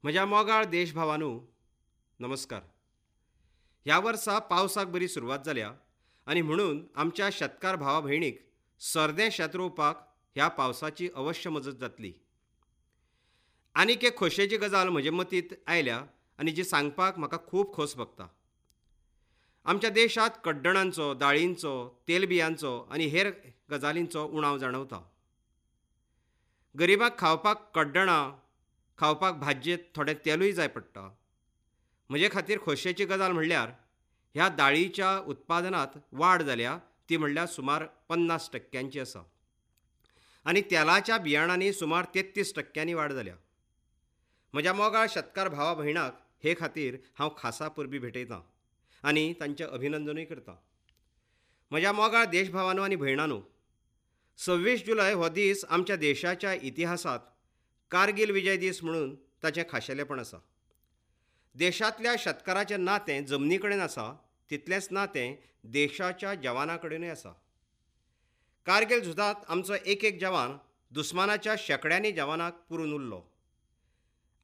म्हज्या मोगाळ देशभावानू, नमस्कार. ह्या वर्सा पावसाक बरी सुरवात जाल्या आनी म्हणून आमच्या शेतकार भावा भयणीक सरदें शेत रोवपाक ह्या पावसाची अवश्य मजत जातली. आनीक एक खोशयेची गजाल म्हजे मतींत आयल्या आनी जी सांगपाक म्हाका खूब खोस भोगता. आमच्या देशांत कड्डणांचो, दाळींचो, तेलबियांचो आनी हेर गजालींचो उणाव जाणवता. गरिबांक खावपाक कड्डणां, खावपाक भाजयेंत थोडें तेलूय जाय पडटा. म्हजे खातीर खोशयेची गजाल म्हणल्यार ह्या दाळीच्या उत्पादनांत वाड जाल्या ती म्हणल्यार सुमार 50% आसा आनी तेलाच्या बियाणांनी सुमार 33% वाड जाल्या. म्हज्या मोगाळ शेतकार भावा भयणाक हे खातीर हांव खासा परबीं भेटयतां आनी तांचें अभिनंदनूय करतां. म्हज्या मोगाळ देशभावानो आनी भयणानो, 26 जुलय हो दीस आमच्या देशाच्या इतिहासांत कारगिल विजय दीस म्हणून ताचें खाशेलेपण आसा. देशांतल्या शेतकाराचें नातें जमनी कडेन आसा तितलेंच नातें देशाच्या जवाना कडेनूय आसा. कारगिल झुजांत आमचो एक एक जवान दुस्मानाच्या शेंकड्यांनी जवानाक पुरून उरलो.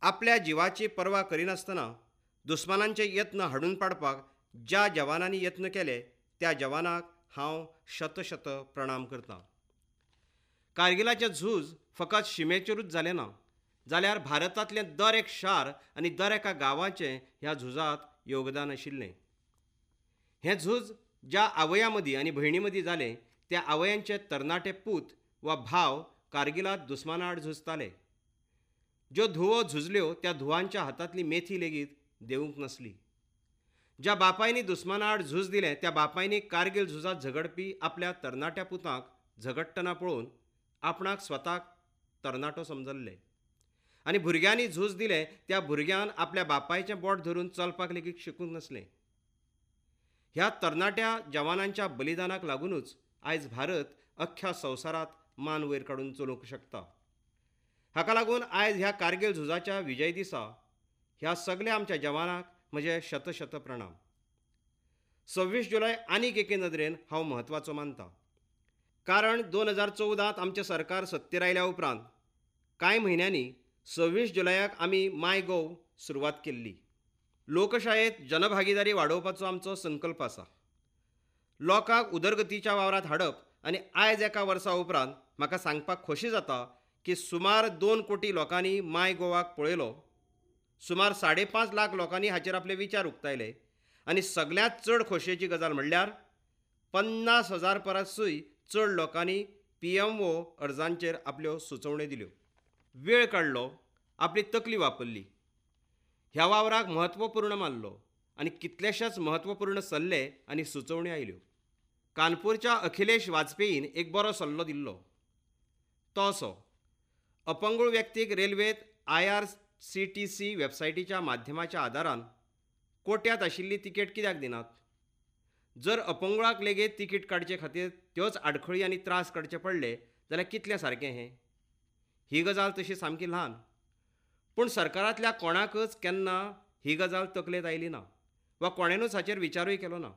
आपल्या जिवाची पर्वा करिनासतना दुस्मानांचे यत्न हाडून पाडपाक ज्या जवानांनी यत्न केले त्या जवानाक हांव शतशत प्रणाम करतां. कारगिलाचें झूज फकत शिमेचेरूच जालें ना, जाल्यार भारतांतलें दर एक शार आनी दर एका गांवाचें ह्या झुजांत योगदान आशिल्लें. हें झूज ज्या आवयां मदीं आनी भयणी मदीं जालें त्या आवयांचे तरणाटे पूत वा भाव कारगिलांत दुस्माना आड झुजताले. ज्यो धुवो झुजल्यो त्या धुवांच्या हातांतली मेथी लेगीत देवूंक नासली. ज्या बापायनी दुस्माना आड झूज दिलें त्या बापायनी कारगिल झुजांत झगडपी आपल्या तरणाट्या पुतांक झगडटना पळोवन आपणाक स्वताक तरणाटो समजल्ले आनी भुरग्यांनी झूज दिलें त्या भुरग्यान आपल्या बापायचें बोट धरून चलपाक लेगीत शिकूंक नासलें. ह्या तरणाट्या जवानांच्या बलिदानाक लागुनूच आयज भारत अख्ख्या संवसारांत मान वयर काडून चलूंक शकता. हाका लागून आयज ह्या कारगिल झुजाच्या विजय दिसा ह्या सगल्या आमच्या जवानांक म्हजे शतशत प्रणाम. 26 जुलय आनीक एके नदरेन हांव म्हत्वाचो मानता, कारण 2014 आमचें सरकार सत्तेर आयल्या उपरांत कांय म्हयन्यांनी 26 जुलयाक आमी माय गोव सुरवात केल्ली. लोकशायेंत जनभागीदारी वाडोवपाचो आमचो संकल्प आसा. लोकांक उदरगतीच्या वावरांत हाडप आनी आयज एका वर्सा उपरांत म्हाका सांगपाक खोशी जाता की सुमार 2 कोटी लोकांनी माय गोवाक पळयलो, सुमार 5.5 लाख लोकांनी हाचेर आपले विचार उक्तायले आनी सगल्यांत चड खोशयेची गजाल म्हणल्यार 50,000 परसूय चड लोकांनी PMO अर्जांचेर आपल्यो सुचोवण्यो दिल्यो. वेळ काडलो, आपली तकली वापरली, ह्या वावराक म्हत्वपूर्ण मानलो आनी कितलेशेच म्हत्वपूर्ण सल्ले आनी सुचोवण्यो आयल्यो. कानपूरच्या अखिलेश वाजपेयीन एक बरो सल्लो दिल्लो, तो असो: अपंगूळ व्यक्तीक रेल्वेंत IRCTC वेबसायटीच्या माध्यमाच्या आदारान कोट्यांत आशिल्ली तिकेट कित्याक दिनात? जर अपंगुळाक लेगीत तिकीट काडचे खातीर त्योच आडखळी आनी त्रास काडचे पडले जाल्यार कितलें सारकें हें? ही गजाल तशी सामकी ल्हान, पूण सरकारांतल्या कोणाकच केन्ना ही गजाल तकलेंत आयली ना वा कोणेनूच हाचेर विचारूय केलो ना.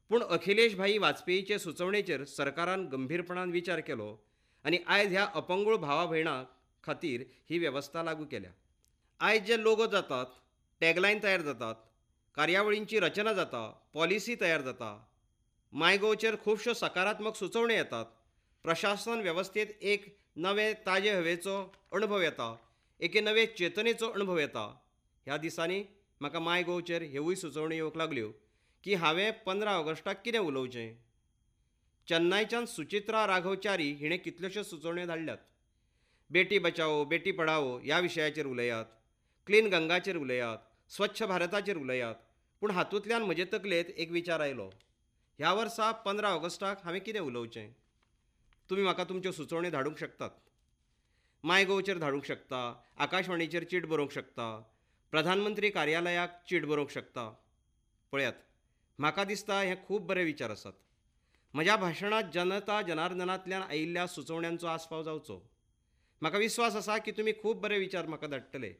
पूण अखिलेश भाई वाजपेयीचे सुचोवणेचेर सरकारान गंभीरपणान विचार केलो आनी आयज ह्या अपंगूळ भावा भयणां खातीर ही वेवस्था लागू केल्या. आयज जे लोगो जातात, टॅगलायन तयार जातात, कार्यावळींची रचना जाता, पॉलिसी तयार जाता, मायगोवचेर खुबश्यो सकारात्मक सुचोवण्यो येतात, प्रशासन वेवस्थेंत एक नवे ताजे हवेचो अणभव येता, एके नवे चेतनेचो अणभव येता. ह्या दिसांनी म्हाका मायगोवचेर ह्योय सुचोवण्यो येवंक लागल्यो की हांवें 15 ऑगस्टाक कितें उलोवचें. चेन्नयच्यान सुचित्रा राघव च्यारी हिणें कितल्योश्यो सुचोवण्यो धाडल्यात. बेटी बचाओ बेटी पढाओ ह्या विशयाचेर उलयात, क्लीन गंगाचेर उलयात, स्वच्छ भारताचेर उलयात. पूण हातूंतल्यान म्हजे तकलेंत एक विचार आयलो, ह्या वर्सा 15 ऑगस्टाक हांवें कितें उलोवचें? तुमी म्हाका तुमच्यो सुचोवण्यो धाडूंक शकतात, मायगोवचेर धाडूंक शकता, आकाशवाणीचेर चीट बरोवंक शकता, प्रधानमंत्री कार्यालयाक चीट बरोवंक शकता. पळयात, म्हाका दिसता हे खूब बरे विचार आसात. म्हज्या भाशणांत जनता जनार्दनांतल्यान आयिल्ल्या सुचोवण्यांचो आस्पाव जावचो. म्हाका विस्वास आसा की तुमी खूब बरे विचार म्हाका धाडटले.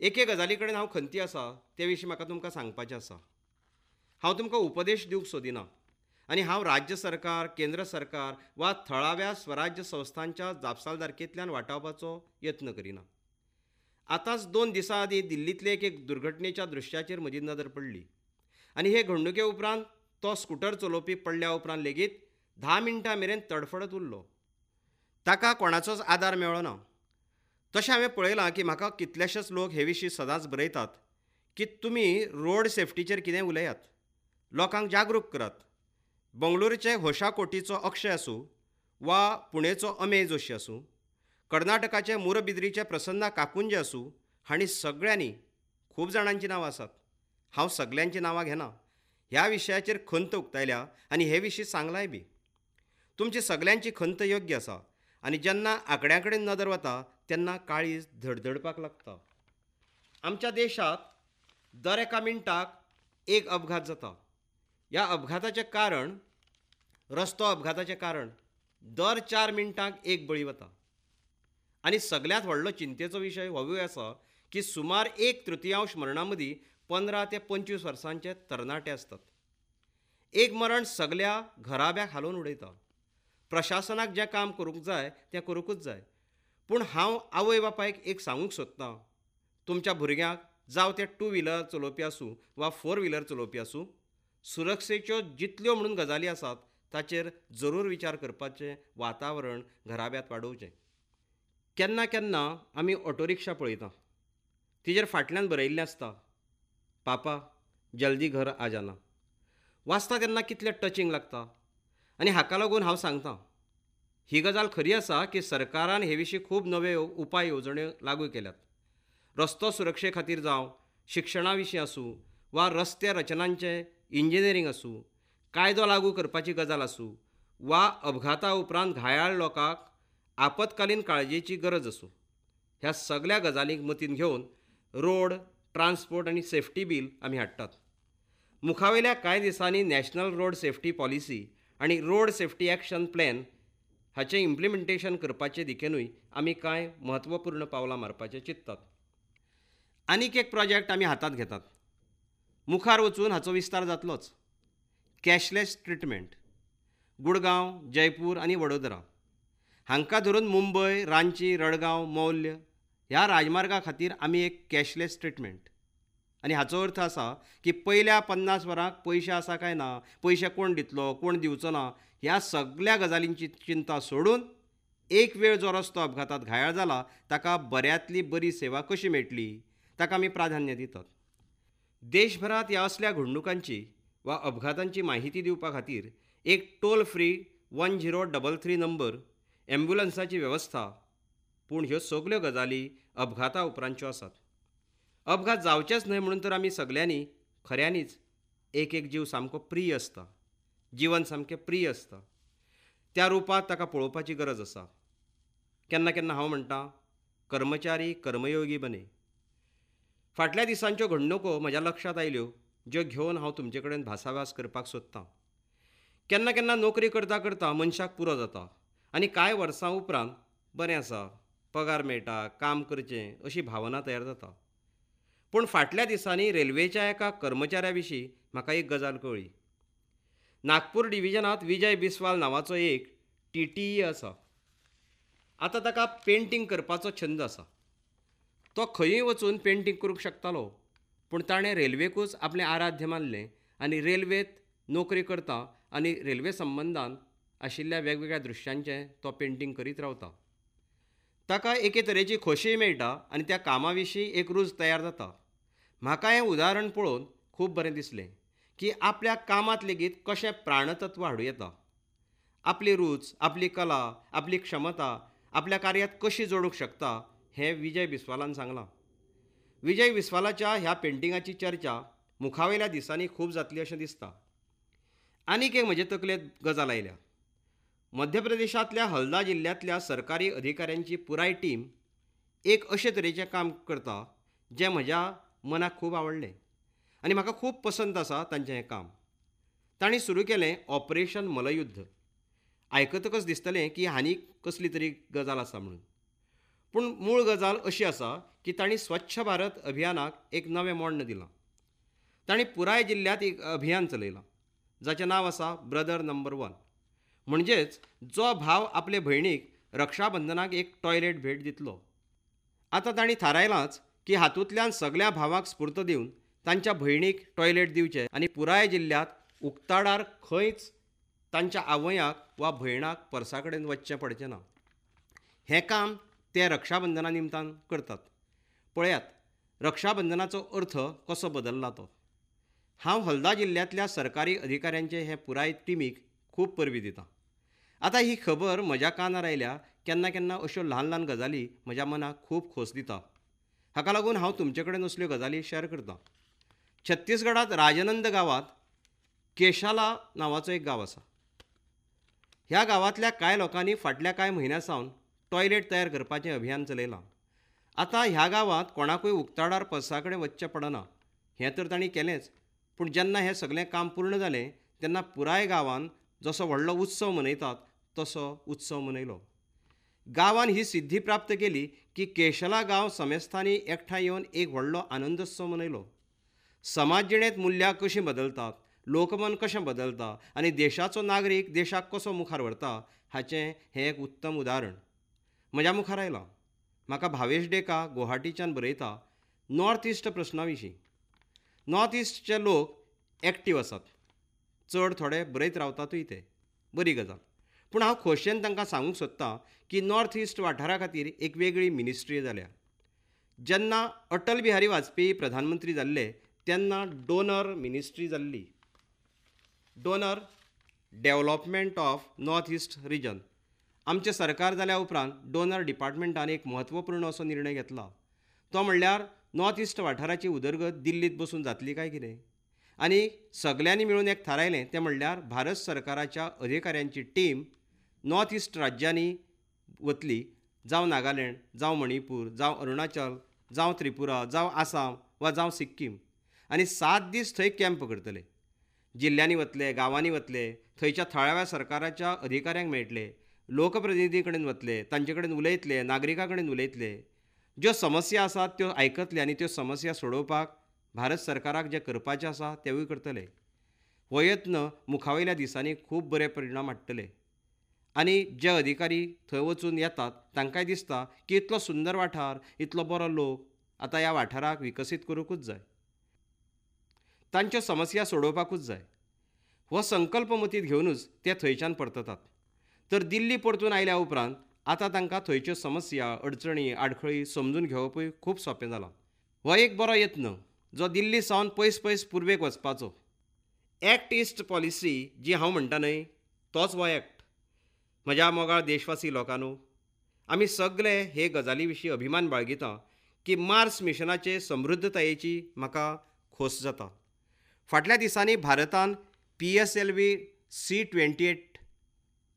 एके गजाली कडेन हांव खंती आसा, ते विशीं म्हाका तुमकां सांगपाचें आसा. हांव तुमकां उपदेश दिवंक सोदिना आनी हांव राज्य सरकार, केंद्र सरकार वा थळाव्या स्वराज्य संस्थांच्या जापसालदारकेंतल्यान वाटावपाचो यत्न करिना. आतांच 2 दिसां आदीं दिल्लींतले एके दुर्घटनेच्या दृश्याचेर म्हजी नदर पडली आनी हे घडणुके उपरांत तो स्कुटर चलोवपी पडल्या उपरांत लेगीत 10 मिनटां मेरेन तडफडत उरलो. ताका कोणाचोच आदार मेळ्ळो ना. तशें हांवें पळयलां की म्हाका कितलेशेच लोक हे विशीं सदांच बरयतात की तुमी रोड सेफ्टीचेर कितें उलयात, लोकांक जागरूक करात. बंगळुरूचे होशाकोटीचो अक्षय आसूं वा पुणेचो अमेय जोशी आसूं, कर्नाटकाचे मुरबिद्रीचे प्रसन्ना काकुंजे आसूं, हांणी सगळ्यांनी, खूब जाणांचीं नांवां आसात, हांव सगल्यांचीं नांवां घेना, ह्या विशयाचेर खंत उक्तायल्या आनी हे विशीं सांगलांय बी. तुमची सगल्यांची खंत योग्य आसा आनी जेन्ना आंकड्यां कडेन नदर वता तेन्ना काळीज धडधडपाक लागता. आमच्या देशांत दर एका मिनटाक एक अपघात जाता. ह्या अपघाताचें कारण, रस्तो अपघाताचें कारण, दर 4 मिनटांक एक बळी वता. आनी सगल्यांत व्हडलो चिंतेचो विशय होवूय आसा की सुमार 1/3 मरणां मदीं 15 ते 25 वर्सांचे तरणाटे आसतात. एक मरण सगल्या घराब्याक हालोवन उडयता. प्रशासनाक जें काम करूंक जाय तें करूंकूच जाय, पूण हांव आवय बापायक एक सांगूंक सोदतां, तुमच्या भुरग्यांक, जावं ते 2 व्हिलर चलोवपी आसूं वा 4 व्हिलर चलोवपी आसूं, सुरक्षेच्यो जितल्यो म्हणून गजाली आसात ताचेर जरूर विचार करपाचें वातावरण घराब्यांत वाडोवचें. केन्ना केन्ना आमी ऑटो रिक्षा पळयता, तिजेर फाटल्यान बरयिल्लें आसता, पापा जल्दी घर आ जाना. वाचता तेन्ना कितलें टचिंग लागता. आनी हाका लागून हांव सांगता, ही गजाल खरी आसा की सरकारान हे विशीं खूब नवे उपाय येवजण्यो लागू केल्यात. रस्तो सुरक्षे खातीर जावं, शिक्षणा विशीं आसूं वा रस्ते रचनांचें इंजिनियरींग आसूं, कायदो लागू करपाची गजाल आसूं वा अपघाता उपरांत घायाळ लोकांक आपत्कालीन काळजेची गरज आसूं, ह्या सगल्या गजालींक मतींत घेवन रोड ट्रान्सपोर्ट आनी सेफ्टी बील आमी हाडटात. मुखावेल्या कांय दिसांनी नॅशनल रोड सेफ्टी पॉलिसी आनी रोड सेफ्टी एक्शन प्लॅन हाचें इम्प्लिमेंटेशन करपाचे दिकेनूय आमी कांय म्हत्वपूर्ण पावलां मारपाचें चिंततात. आनीक एक प्रोजेक्ट आमी हातांत घेतात, मुखार वचून हाचो विस्तार जातलोच. कॅशलेस ट्रिटमेंट गुडगांव, जयपूर आनी वडोदरा हांकां धरून मुंबय, रांची, रडगांव, मौल्य ह्या राजमार्गा खातीर आमी एक कॅशलेस ट्रिटमेंट. आनी हाचो अर्थ आसा की पयल्या 50 वरांक पयशे आसा काय ना, पयशे कोण दितलो कोण दिवचो ना, ह्या सगल्या गजालींची चिंता सोडून एक वेळ जो रस्तो अपघातात घायाळ जाला ताका बऱ्यांतली बरी सेवा कशी मेळटली ताका आमी प्राधान्य दितात. देशभरांत ह्या असल्या घडणुकांची वा अपघातांची माहिती दिवपा खातीर एक टोल फ्री 1033 नंबर, ॲम्ब्युलन्साची वेवस्था. पूण ह्यो सगल्यो गजाली अपघाता उपरांतच्यो आसात. अपघात जावचेच न्हय म्हणून तर आमी सगल्यांनी खऱ्यांनीच एक एक जीव सामको प्रिय आसता, जीवन सामकें प्रिय आसता, त्या रुपांत ताका पळोवपाची गरज आसा. केन्ना केन्ना हांव म्हणटा, कर्मचारी कर्मयोगी बने. फाटल्या दिसांच्यो घडणुको म्हज्या लक्षांत आयल्यो ज्यो घेवन हांव तुमचे कडेन भासाभास करपाक सोदतां. केन्ना केन्ना नोकरी करता करता मनशाक पुरो जाता आनी कांय वर्सां उपरांत बरें आसा, पगार मेळटा, काम करचें अशी भावना तयार जाता. पूण फाटल्या दिसांनी रेल्वेच्या एका कर्मचाऱ्या विशीं म्हाका एक गजाल कळ्ळी. नागपूर डिविजनांत विजय बिस्वाल नांवाचो एक TTE आसा. आतां ताका पेंटींग करपाचो छंद आसा. तो खंयूय वचून पेंटींग करूंक शकतालो, पूण ताणें रेल्वेकूच आपलें आराध्य मानलें आनी रेल्वेंत नोकरी करता आनी रेल्वे संबंदान आशिल्ल्या वेगवेगळ्या दृश्यांचें तो पेंटींग करीत रावता. ताका एके तरेची खोशीय मेळटा आनी त्या कामा विशीं एक रूच तयार जाता. म्हाका हें उदाहरण पळोवन खूब बरें दिसलें की आपल्या कामांत लेगीत कशें प्राणतत्व हाडूं येता. आपली रूच, आपली कला, आपली क्षमता आपल्या कार्यांत कशी जोडूंक शकता हें विजय बिस्वालान सांगलां. विजय बिस्वालाच्या ह्या पेंटिंगाची चर्चा मुखावेल्या दिसांनी खूब जातली अशें दिसता. आनीक एक म्हजे तकलेंत गजाल आयल्या. मध्य प्रदेशांतल्या हल्दा जिल्ल्यांतल्या सरकारी अधिकाऱ्यांची पुराय टीम एक अशे तरेचें काम करता जें म्हज्या मनाक खूब आवडलें आनी म्हाका खूब पसंत आसा तांचें हें काम. तांणी सुरू केलें ऑपरेशन मलयुद्ध. आयकतकच दिसतलें की हांणी कसली तरी गजाल आसा म्हणून, पूण मूळ गजाल अशी आसा की तांणी स्वच्छ भारत अभियानाक एक नवें मोण्ण दिलां. तांणी पुराय जिल्ल्यांत एक अभियान चलयलां जाचें नांव आसा ब्रदर नंबर 1. म्हणजेच जो भाव आपले भयणीक रक्षाबंधनाक एक टॉयलेट भेट दितलो. आतां तांणी थारायलांच की हातूंतल्यान सगल्या भावांक स्फूर्त दिवन तांच्या भयणीक टॉयलेट दिवचें आनी पुराय जिल्ल्यांत उक्ताडार खंयच तांच्या आवयांक वा भयणाक परसा कडेन वचचें पडचें ना. हें काम ते रक्षाबंधना निमतान करतात. पळयात, रक्षाबंधनाचो अर्थ कसो बदल्ला तो. हांव हल्दा जिल्ल्यांतल्या सरकारी अधिकाऱ्यांचे हे पुराय टिमीक खूब परबीं दितां. आतां ही खबर म्हज्या कानार आयल्या. केन्ना केन्ना अश्यो ल्हान ल्हान गजाली म्हज्या मनाक खूब खोस दिता. हाका लागून हांव तुमचे कडेन असल्यो गजाली शेअर करतां. छत्तीसगडांत राजनंद गांवांत केशाला नांवाचो एक गांव आसा. ह्या गांवांतल्या कांय लोकांनी फाटल्या कांय म्हयन्यां सावन टॉयलेट तयार करपाचें अभियान चलयलां. आतां ह्या गांवांत कोणाकूय उक्ताडार परसा कडेन वचचें पडना. हें तर तांणी केलेंच, पूण जेन्ना हें सगलें काम पूर्ण जालें तेन्ना पुराय गांवान जसो व्हडलो उत्सव मनयतात तसो उत्सव मनयलो. गांवान ही सिद्धी प्राप्त केली की केशला गांव समेस्थांनी एकठांय येवन एक व्हडलो आनंदोत्सव मनयलो. समाज जिणेंत मुल्यां कशीं बदलतात, लोकमन कशें बदलता आनी देशाचो नागरीक देशाक कसो मुखार व्हरता हाचें हें एक उत्तम उदाहरण म्हज्या मुखार आयलां. म्हाका भावेश डेका गुवाहाटीच्यान बरयता नॉर्थ इस्ट प्रस्ना विशीं. नॉर्थ इस्टचे लोक एक्टीव आसात, चड थोडे बरयत रावतातूय, ते बरी गजाल. पूण हांव खोशयेन तांकां सांगूंक सोदतां की नॉर्थ इस्ट वाठारा खातीर एक वेगळी मिनिस्ट्री जाल्या. जेन्ना अटल बिहारी वाजपेयी प्रधानमंत्री जाल्ले तेन्ना डोनर मिनिस्ट्री जाल्ली, DoNER, development of north east region. आमचें सरकार जाल्या उपरांत डोनर डिपार्टमेंटान एक म्हत्वपूर्ण असो निर्णय घेतला. तो म्हणल्यार नॉर्थ इस्ट वाठाराची उदरगत दिल्लींत बसून जातली काय कितें, आनी सगल्यांनी मेळून एक थारायलें तें म्हणल्यार भारत सरकाराच्या अधिकाऱ्यांची टीम नॉर्थ इस्ट राज्यांनी वतली, जावं नागालँड, जावं मणिपूर, जावं अरुणाचल, जावं त्रिपुरा, जावं आसाम वा जावं सिक्कीम, आनी 7 दीस थंय कॅम्प करतले. जिल्ल्यांनी वतले, गांवांनी वतले, थंयच्या थळाव्या सरकाराच्या अधिकाऱ्यांक मेळटले, लोकप्रतिनिधी कडेन वतले, तांचे कडेन उलयतले, नागरिकां कडेन उलयतले, ज्यो समस्या आसात त्यो आयकतले आनी त्यो समस्या सोडोवपाक भारत सरकाराक जें करपाचें आसा तेवूय करतले. हो यत्न मुखावयल्या दिसांनी खूब बरे परिणाम हाडटले आनी जे अधिकारी थंय वचून येतात तांकांय दिसता की इतलो सुंदर वाठार, इतलो बरो लोक, आतां ह्या वाठाराक विकसीत करूंकूच जाय, तांच्यो समस्या सोडोवपाकूच जाय. हो संकल्प मतींत घेवनूच ते थंयच्यान परततात. तर दिल्ली परतून आयल्या उपरांत आतां तांकां थंयच्यो समस्या, अडचणी, आडखळी समजून घेवपूय खूब सोंपें जालां. हो एक बरो यत्न जो दिल्ली सावन पयस पयस पुर्वेक वचपाचो. एक्ट इस्ट पॉलिसी जी हांव म्हणटा न्हय, तोच हो एक्ट. म्हज्या मोगाळ देशवासी लोकांनो, आमी सगळे हे गजाली विशीं अभिमान बाळगिता की मार्स मिशनाचे समृद्धतायेची म्हाका खोस जाता. फाटल्या दिसांनी भारतान PSLV C-28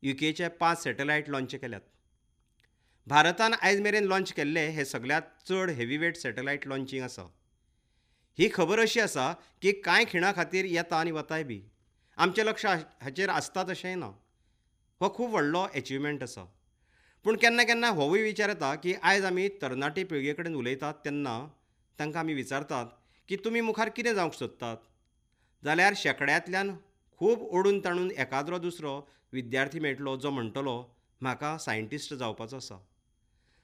युकेचे 5 सॅटेलायट लॉंच केल्यात. भारतान आयज मेरेन लॉंच केल्ले हे सगळ्यांत चड हेवीवेट सॅटेलायट लॉंचींग आसा. ही खबर अशी आसा की कांय खिणा खातीर येता आनी वताय बी, आमचें लक्ष हाचेर आसता तशेंय ना. हो खूब व्हडलो एचिवमेंट आसा. पूण केन्ना केन्ना होवूय विचार येता की आयज आमी तरणाटे पिळगे कडेन उलयतात तेन्ना तांकां आमी विचारतात की तुमी मुखार कितें जावंक सोदतात, जाल्यार शेंकड्यांतल्यान खूब ओडून ताणून एकाद्रो दुसरो विद्यार्थी मेळटलो जो म्हणटलो म्हाका सायंटिस्ट जावपाचो आसा.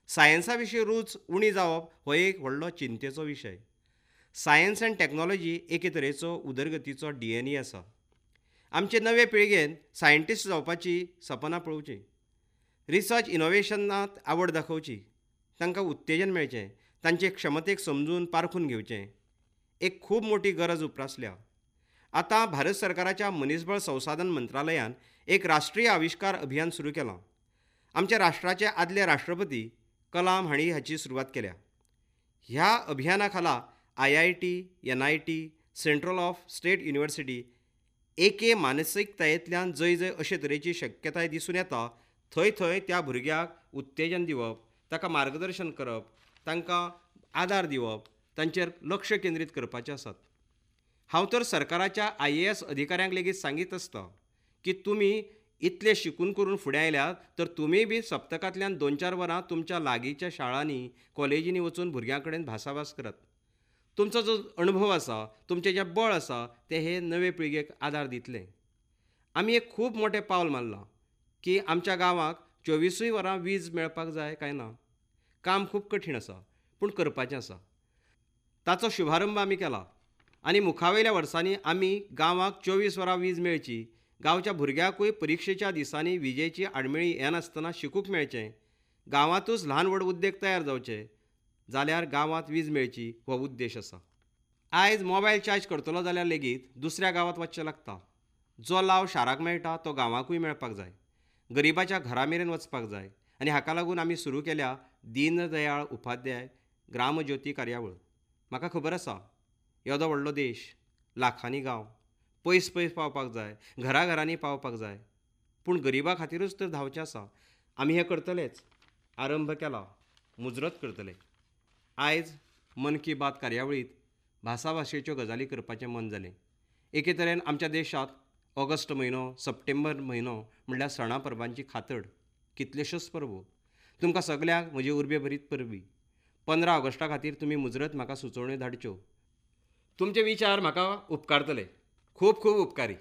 सायन्सा विशीं रूच उणी जावप हो एक व्हडलो चिंतेचो विशय. सायन्स एंड टॅक्नोलॉजी एके तरेचो उदरगतीचो DNA आसा. आमचे नवे पिळगेन सायंटिस्ट जावपाची सपनां पळोवची, रिसर्च इनोवेशनांत आवड दाखोवची, तांकां उत्तेजन मेळचें, तांचे क्षमतेक समजून पारखून घेवचें, एक खूब मोटी गरज उप्रासल्या. आतां भारत सरकाराच्या मनीसबळ संसाधन मंत्रालयान एक राष्ट्रीय आविश्कार अभियान सुरू केलां. आमच्या राष्ट्राचे आदले राष्ट्रपती कलाम हांणी हाची सुरवात केल्या. ह्या अभियाना खाला IIT, NIT, central of state university एके मानसिकतायेंतल्यान जंय जंय अशे तरेची शक्यताय दिसून येता थंय थंय त्या भुरग्याक उत्तेजन दिवप, ताका मार्गदर्शन करप, तांकां आदार दिवप, तांचेर लक्ष केंद्रीत करपाचें आसात. हांव तर सरकाराच्या IAS अधिकाऱ्यांक लेगीत सांगीत आसता की तुमी इतले शिकून करून फुडें आयल्यात तर तुमी बी सप्तकांतल्यान 2-4 वरां तुमच्या लागींच्या शाळांनी, कॉलेजींनी वचून भुरग्यां कडेन भासाभास करात. तुमचो जो अणभव आसा, तुमचें जें बळ आसा तें हे नवे पिळगेक आदार दितलें. आमी एक खूब मोटें पावल मारलां की आमच्या गांवाक 24 वरां वीज मेळपाक जाय काय ना. काम खूब कठीण आसा, पूण करपाचें आसा. ताचो शुभारंभ आमी केला आनी मुखावयल्या वर्सांनी आमी गांवाक 24 वरां वीज मेळची, गांवच्या भुरग्यांकूय परिक्षेच्या दिसांनी विजेची आडमेळी येनासतना शिकूंक मेळचें, गांवांतूच ल्हान व्हड उद्देग तयार जावचे जाल्यार गांवांत वीज मेळची हो उद्देश आसा. आयज मोबायल चार्ज करतलो जाल्यार लेगीत दुसऱ्या गांवांत वचचें लागता. जो लाव शाराक मेळटा तो गांवांकूय मेळपाक जाय, गरिबाच्या घरा मेरेन वचपाक जाय आनी हाका लागून आमी सुरू केल्या दीनदयाळ उपाध्याय ग्रामज्योती कार्यावळ. म्हाका खबर आसा येदो व्हडलो देश, लाखांनी गांव, पयस पयस पावपाक जाय, घराघरांनी पावपाक जाय, पूण गरिबा खातीरूच तर धांवचें आसा. आमी हें करतलेच, आरंभ केला, मुजरत करतले. आयज मन की बात कार्यावळींत भासाभाशेच्यो गजाली करपाचें मन जालें. एके तरेन आमच्या देशांत ऑगस्ट म्हयनो, सप्टेंबर म्हयनो म्हणल्यार सणा परबांची खातड, कितल्योश्योच परबो. तुमकां सगल्यांक म्हजी उर्बे भरीत परबी. 15 ऑगस्टा खातीर तुमी मुजरत म्हाका सुचोवण्यो धाडच्यो. तुमचे विचार म्हाका उपकारतले. खूब खूब उपकारी.